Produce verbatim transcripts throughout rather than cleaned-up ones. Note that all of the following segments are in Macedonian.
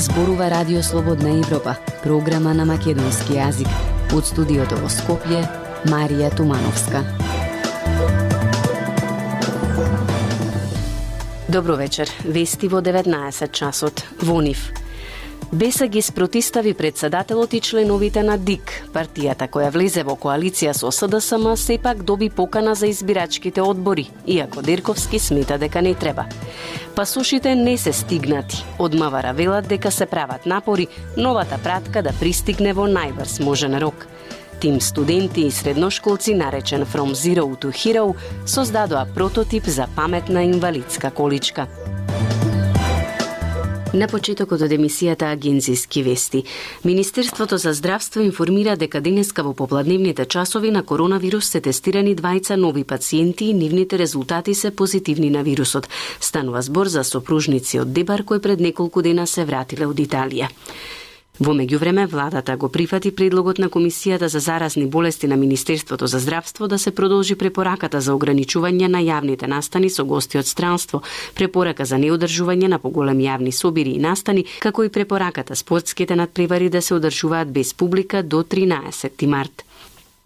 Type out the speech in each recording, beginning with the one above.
Зборува Радио Слободна Европа, програма на македонски јазик. Од студиото во Скопје, Марија Тумановска. Добро вечер. Вести во деветнаесет часот. Во нив. Беса ги спротистави председателот и членовите на ДИК. Партијата која влезе во коалиција со СДСМ сепак доби покана за избирачките одбори, иако Дерковски смета дека не треба. Пасошите не се стигнати. Од МВР велат дека се прават напори новата пратка да пристигне во најбрз можен рок. Тим студенти и средношколци, наречен From Zero to Hero, создадоа прототип за паметна инвалидска количка. На почетокот од емисијата Агенцијски вести, Министерството за здравство информира дека денеска во попладневните часови на коронавирус се тестирани двајца нови пациенти и нивните резултати се позитивни на вирусот. Станува збор за сопружници од Дебар кои пред неколку дена се вратиле од Италија. Во меѓувреме, владата го прифати предлогот на Комисијата за заразни болести на Министерството за здравство да се продолжи препораката за ограничување на јавните настани со гости од странство, препорака за неодржување на поголеми јавни собири и настани, како и препораката спортските надпревари да се одржуваат без публика до тринаесети март.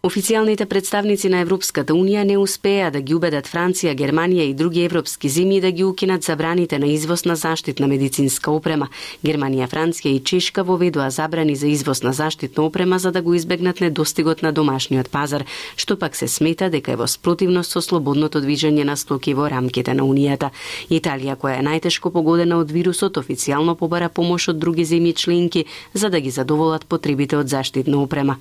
Официјалните представници на Европската Унија не успеа да ги убедат Франција, Германија и други европски земји да ги укинат забраните на извоз на заштитна медицинска опрема. Германија, Франција и Чешка воведоа забрани за извоз на заштитна опрема за да го избегнат недостигот на домашниот пазар, што пак се смета дека е во спротивност со слободното движење на стоки во рамките на Унијата. Италија, која е најтешко погодена од вирусот, официјално побара помош од други земји членки за да ги задоволат потребите од заштитна опрема.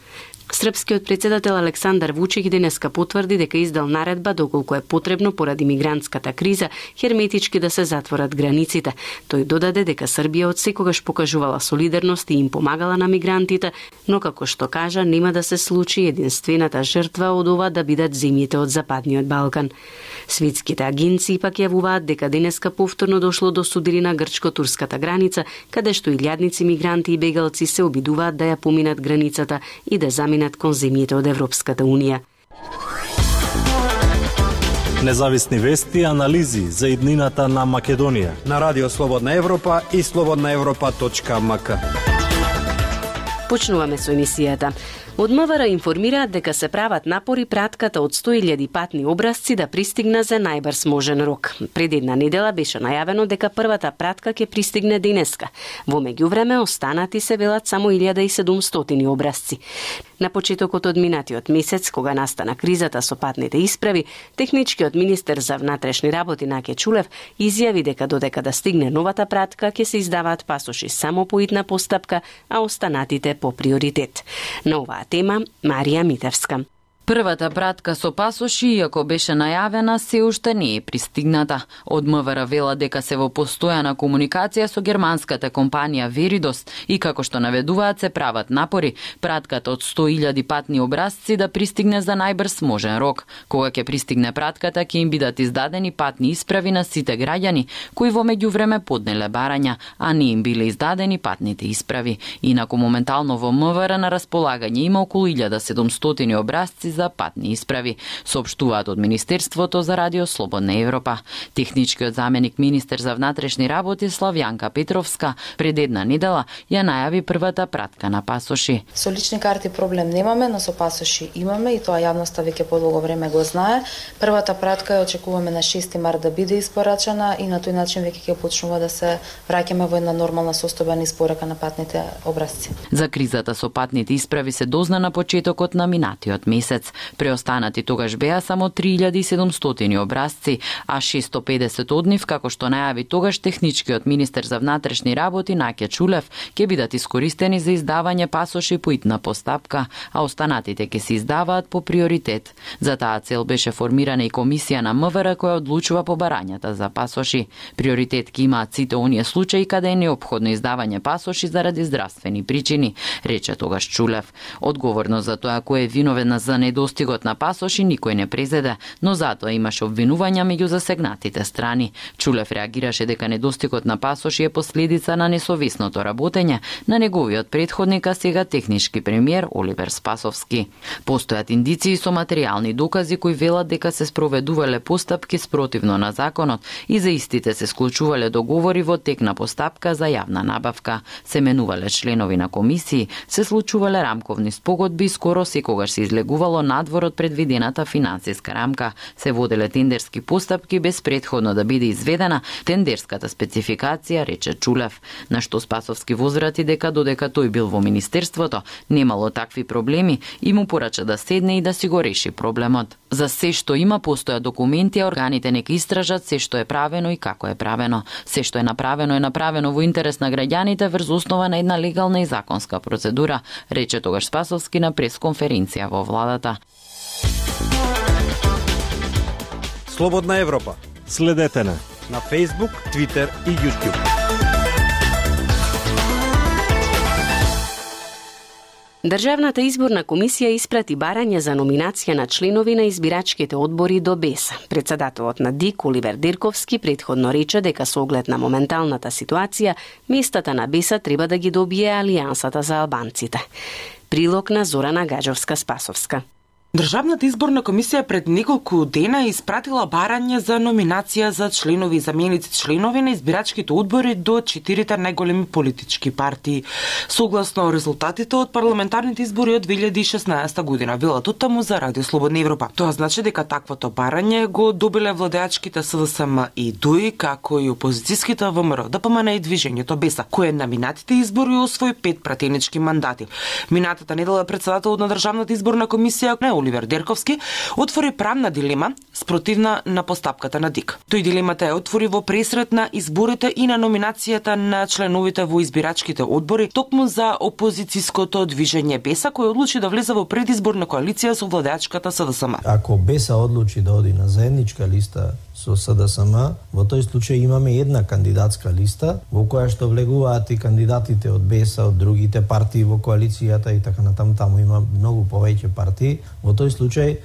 Српскиот председател Александар Вучич денеска потврди дека издал наредба доколку е потребно поради мигрантската криза херметички да се затворат границите. Тој додаде дека Србија од секогаш покажувала солидарност и им помагала на мигрантите, но како што кажа нема да се случи единствената жртва од ова да бидат земјите од Западниот Балкан. Светските агенции пак јавуваат дека денеска повторно дошло до судири на грчко-турската граница, каде што илјадници мигранти и бегалци се обидуваат да ја поминат границата и да заминат кон земјите од Европската Унија. Независни вести и анализи за иднината на Македонија на Радио Слободна Европа и слободна европа точка ем ка. Почнуваме со емисијата. Од МВР информираат дека се прават напори пратката од сто илјади патни образци да пристигне за најбрз можен рок. Пред една недела беше најавено дека првата пратка ќе пристигне денеска. Во меѓувреме останати се велат само илјада и седумстотини образци. На почетокот од минатиот месец, кога настана кризата со патните исправи, техничкиот министер за внатрешни работи Наке Чулев изјави дека додека да стигне новата пратка ќе се издаваат пасоши само по итна постапка, а останатите по приоритет. На оваа тема Марија Митевска. Првата пратка со пасоши, иако беше најавена, се уште не е пристигната. Од МВР вела дека се во постојана комуникација со германската компанија Веридос и како што наведуваат се прават напори пратката од сто илјади патни образци да пристигне за најбрз можен рок. Кога ќе пристигне пратката, ќе им бидат издадени патни исправи на сите граѓани кои во меѓувреме поднеле барања, а не им биле издадени патните исправи. Инаку моментално во МВР на располагање има околу илјада и седумстотини образци за патни исправи, соопштуваат од Министерството за Радио Слободна Европа. Техничкиот заменик министер за внатрешни работи Славјанка Петровска пред една недела ја најави првата пратка на пасоши. Со лични карти проблем немаме, но со пасоши имаме и тоа јавноста веќе подолго време го знае. Првата пратка ја очекуваме на шести март да биде испорачана и на тој начин веќе ќе почнува да се враќаме во една нормална состојба на испорака на патните образци. За кризата со патните исправи се дозна на почетокот на минатиот месец. Преостанати тогаш беа само три илјади и седумстотини образци, а шестстотини и педесет од нив, како што најави тогаш техничкиот министер за внатрешни работи Наке Чулев, ќе бидат искористени за издавање пасоши по итна постапка, а останатите ќе се издаваат по приоритет. За таа цел беше формирана и комисија на МВР која одлучува по барањата за пасоши. Приоритет ќе имаат сите оние случаи каде е неопходно издавање пасоши заради здравствени причини, рече тогаш Чулев. Одговорност за тоа кој е виновен за недостигот на пасоши никој не презеде, но затоа имаше обвинувања меѓу засегнатите страни. Чулев реагираше дека недостигот на пасоши е последица на несовесното работење на неговиот претходник, сега технички премиер Оливер Спасовски. Постојат индиции со материјални докази кои велат дека се спроведувале постапки спротивно на законот и за истите се склучувале договори во тек на постапка за јавна набавка, се менувале членови на комисии, се случувале рамковни спогодби и скоро секогаш се излегувало надвор од предвидената финансиска рамка, се воделе тендерски постапки без претходно да биде изведена тендерската спецификација, рече Чулев, на што Спасовски возврати дека додека тој бил во министерството, немало такви проблеми и му порача да седне и да си го реши проблемот. За се што има постоја документи, а органите нека истражат се што е правено и како е правено. Се што е направено е направено во интерес на граѓаните врз основа на една легална и законска процедура, рече тогаш Спасовски на пресконференција во владата. Слободна Европа. Следете на на Facebook, Twitter и YouTube. Државната изборна комисија испрати барање за номинација на членови на избирачките одбори до БЕС. Председателот на ДИК Оливер Дирковски претходно рече дека со оглед на моменталната ситуација, местата на БЕС треба да ги добие Алијансата за албанците. Прилог на Зорана Гаджовска-Спасовска. Државната изборна комисија пред неколку дена испратила барање за номинација за членови и заменици членови на избирачките одбори до четирите најголеми политички партии. Согласно резултатите од парламентарните избори од две илјади и шеснаесета година, велат оттаму за Радио Слободна Европа. Тоа значи дека таквото барање го добиле владеачките СДСМ и ДУИ, како и опозицијските ВМРО, ДПМН и движењето БЕСА, кој на минатите избори освои пет пратенички мандати. Минатата недела председателот на Државната изборна комисија Оливер Дирковски отвори правна дилема спротивна на постапката на ДИК. Тој дилемата ја отвори во пресрет на изборите и на номинацијата на членовите во избирачките одбори токму за опозицијското движење БЕСА, кој одлучи да влезе во предизборна коалиција со владеачката СДСМ. Ако БЕСА одлучи да оди на заедничка листа со СДСМ, во тој случај имаме една кандидатска листа во која што влегуваат и кандидатите од БЕСА, од другите партии во коалицијата и така натаму, таму има многу повеќе партии. Во тој случај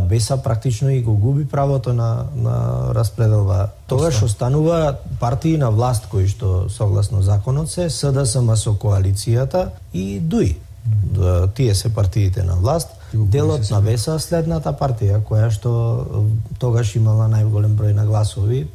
БЕСА практично и го губи правото на на распределба. Тогаш останува партии на власт кои што согласно законот се СДСМ со коалицијата и ДУИ. Тие се партиите на власт. Делот на БЕСА следната партија која што тогаш имала најголем број на гласови.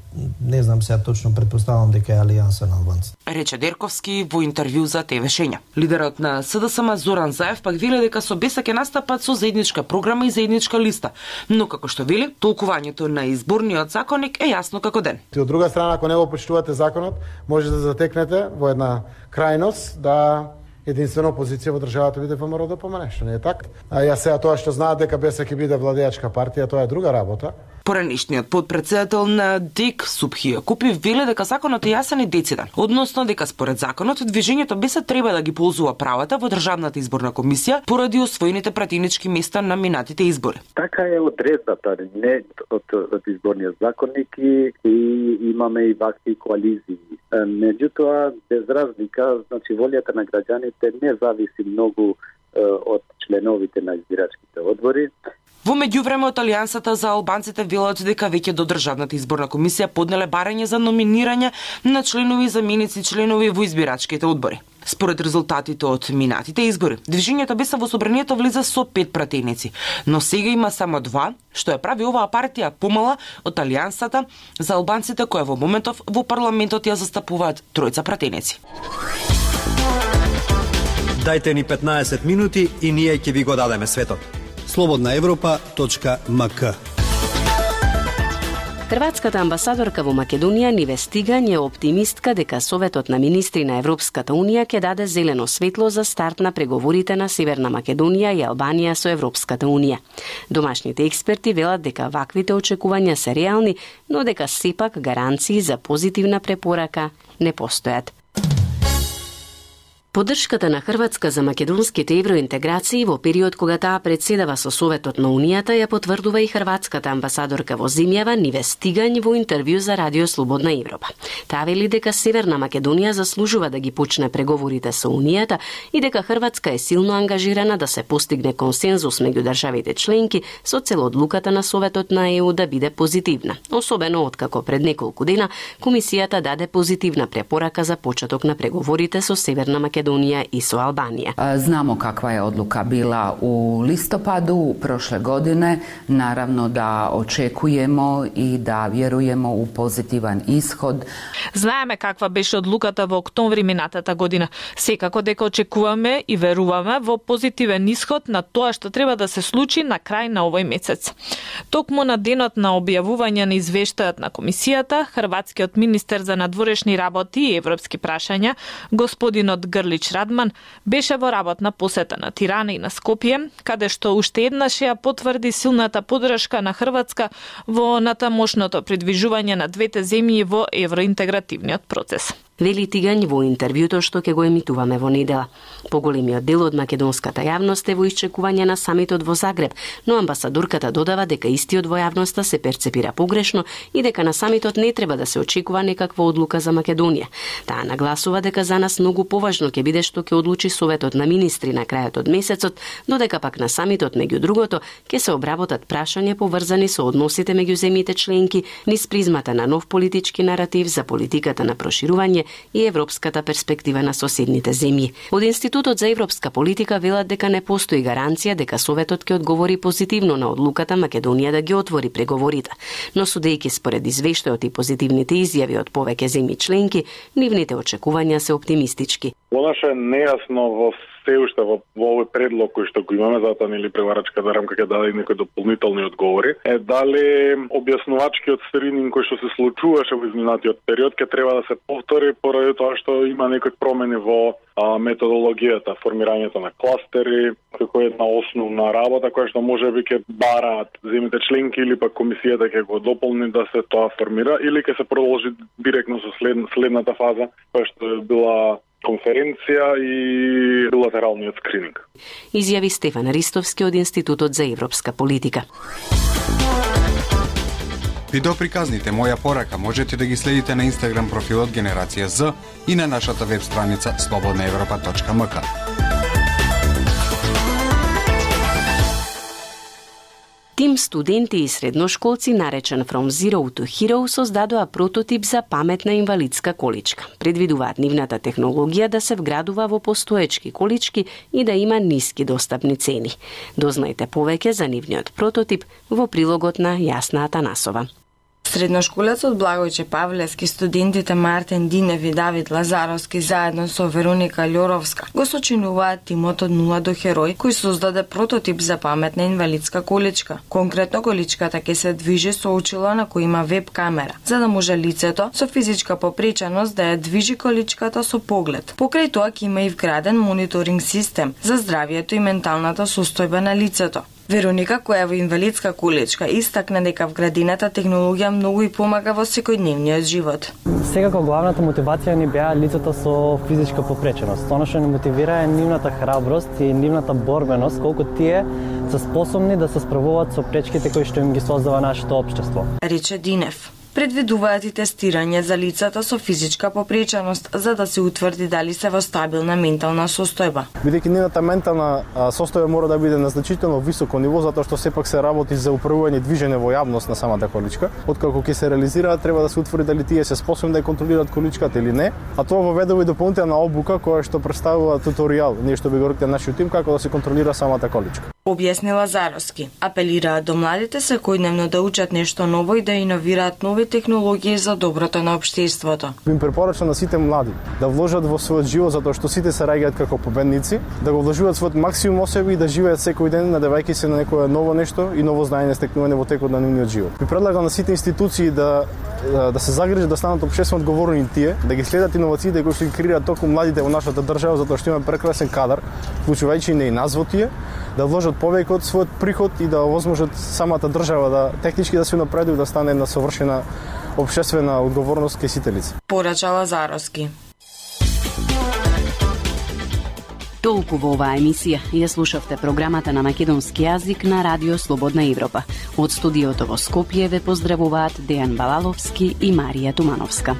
Не знам сега точно, претпоставам дека е Алијанса на албанците. Рече Дирковски во интервју за ТВ Шења. Лидерот на СДСМ Зоран Заев пак вели дека со БЕСА ќе настапат со заедничка програма и заедничка листа. Но како што вели, толкувањето на изборниот законник е јасно како ден. И од друга страна, ако не го почитувате законот, може да затекнете во една крајност да единствено опозиција во државата биде ВМРО ДПМН, што не е така. А ја сега тоа што знаат дека БЕСА ќе биде владеачка партија, тоа е друга работа. Поранешниот подпредседател на ДИК Субхи Јакупи вели дека законот е јасен и дециден, односно дека според законот движењето БЕСА треба да ги ползува правата во Државната изборна комисија поради освоените пратенички места на минатите избори. Така е одредбата, не од, од изборниот законник и, и имаме и вакви коализии. Меѓутоа, без разлика, значи волјата на граѓаните не зависи многу е, од членовите на избирачките одбори. Во меѓувреме од Алијансата за албанците велат дека веќе до Државната изборна комисија поднеле барање за номинирање на членови и заменици членови во избирачките одбори. Според резултатите од минатите избори, движењето БЕСА во собранието влезе со пет пратеници, но сега има само два, што ја прави оваа партија помала од Алијансата за албанците која во моментов во парламентот ја застапуваат тројца пратеници. Дајте ни петнаесет минути и ние ќе ви го дадеме светот. слободна европа точка ем ка. Хрватската амбасадорка во Македонија Ниве Стигањ е оптимистка дека Советот на министри на Европската Унија ќе даде зелено светло за старт на преговорите на Северна Македонија и Албанија со Европската Унија. Домашните експерти велат дека ваквите очекувања се реални, но дека сепак гаранции за позитивна препорака не постојат. Поддршката на Хрватска за македонските евроинтеграции во период кога таа председава со Советот на Унијата ја потврдува и хрватската амбасадорка во земјава Ниве Стигањ во интервју за Радио Слободна Европа. Таа вели дека Северна Македонија заслужува да ги почне преговорите со Унијата и дека Хрватска е силно ангажирана да се постигне консензус меѓу државите членки со цел одлуката на Советот на ЕУ да биде позитивна, особено откако пред неколку дена Комисијата даде позитивна препорака за почеток на преговорите со Северна Македонија и со Албанија. Знамо каква je odluka bila u listopadu prošle godine. Naravno da očekujemo i da vjerujemo u pozitivan ishod. Знаеме каква беше одлуката во октомври минатата година. Секако дека очекуваме и веруваме во позитивен исход на тоа што треба да се случи на крај на овој месец. Токму на денот на објавување на извештајот на комисијата, хрватскиот министер за надворешни работи и европски прашања, господинот Грлич Радман, беше во работна посета на Тирана и на Скопје, каде што уште еднаш ја потврди силната поддршка на Хрватска во натамошното придвижување на двете земји во евроинтегративниот процес. Вели Тигањ во интервјуто што ќе го емитуваме во недела. Поголемиот дел од македонската јавност е во исчекување на самитот во Загреб, но амбасадорката додава дека истиот во јавноста се перцепира погрешно и дека на самитот не треба да се очекува некаква одлука за Македонија. Таа нагласува дека за нас многу поважно ќе биде што ќе одлучи Советот на министри на крајот од месецот, додека пак на самитот меѓу другото ќе се обработат прашања поврзани со односите меѓу земјите членки низ призмата на нов политички наратив за политиката на проширување и европската перспектива на соседните земји. Од Институтот за европска политика велат дека не постои гаранција дека Советот ќе одговори позитивно на одлуката Македонија да ги отвори преговорите, но судејќи според извештајот и позитивните изјави од повеќе земји членки, нивните очекувања се оптимистички. Понаше нејасно во се уште во, во овој предлог кој што го имаме, затоа нели преварачката рамка ќе даде некои дополнителни одговори, е дали објаснувачкиот скрининг кој што се случуваше во изминатиот период ќе треба да се повтори поради тоа што има некои промени во а, методологијата, формирањето на кластери, како една основна работа која што можеби ќе бараат земјите членки или пак комисијата ќе го дополни да се тоа формира или ќе се продолжи директно со след, следната фаза која што е била конференција и билатералниот скрининг. Изјави Стефан Ристовски од Институтот за европска политика. Видеоприказните Моја порака можете да ги следите на Инстаграм профилот Генерација З и на нашата веб страница слободна европа точка ем ка. Тим студенти и средношколци, наречен From Zero to Hero, создадоа прототип за паметна инвалидска количка. Предвидуваат нивната технологија да се вградува во постоечки колички и да има ниски достапни цени. Дознајте повеќе за нивниот прототип во прилогот на Јасна Атанасова. Средношколецот Благојче Павлевски, студентите Мартин Динев и Давид Лазаровски заедно со Вероника Љоровска го сочинуваат тимот од нула до Херој, кој создаде прототип за паметна инвалидска количка. Конкретно количката ќе се движи со очило на кој има веб камера, за да може лицето со физичка попреченост да ја движи количката со поглед. Покрај тоа ќе има и вграден мониторинг систем за здравието и менталната состојба на лицето. Вероника, која е во инвалидска количка, истакна дека вградената технологија многу и помага во секојдневниот живот. Секако главната мотивација ни беа лицата со физичка попреченост. Она што ни мотивира е нивната храброст и нивната борбеност, колку тие се способни да се справуваат со пречките кои што им ги создава нашето општество. Рече Динев. Предвидуваат и тестирање за лицата со физичка попреченост за да се утврди дали се во стабилна ментална состојба. Бидејќи нивната ментална состојба мора да биде на значително високо ниво, затоа што сепак се работи за управување движење во јавност на самата количка. Откако ќе се реализираат, треба да се утврди дали тие се способни да ја контролираат количката или не, а тоа воведува и дополнителна обука која што представува туторијал, ние што би го рекли нашиот тим како да се контролира самата количка. Објасни Лазаровски. Апелираат до младите секојдневно да учат нешто ново и да иновираат нови технологии за доброто на општеството. Им препорачам на сите млади да вложат во својот живот, затоа што сите се раѓаат како победници, да го вложуваат својот максимум во себе и да живеат секој ден надевајќи се на некое ново нешто и ново знаење стекнување во текот на нивниот живот. Ви предлагам на сите институции да да се загрижат да станат општествено одговорни тие, да ги следат иновациите кои што ги креираат толку младите во нашата држава, затоа што имаме прекрасен кадар, вклучувајќи и нас во тие, да вложат повеќе од својот приход и да овозможат самата држава да технички да се напредува, да стане една совршена општествена одговорност кај сите лица. Порача Лазаровски. Толку во оваа емисија. Ја слушавте програмата на македонски јазик на Радио Слободна Европа. Од студиото во Скопје ве поздравуваат Дејан Балаловски и Марија Тумановска.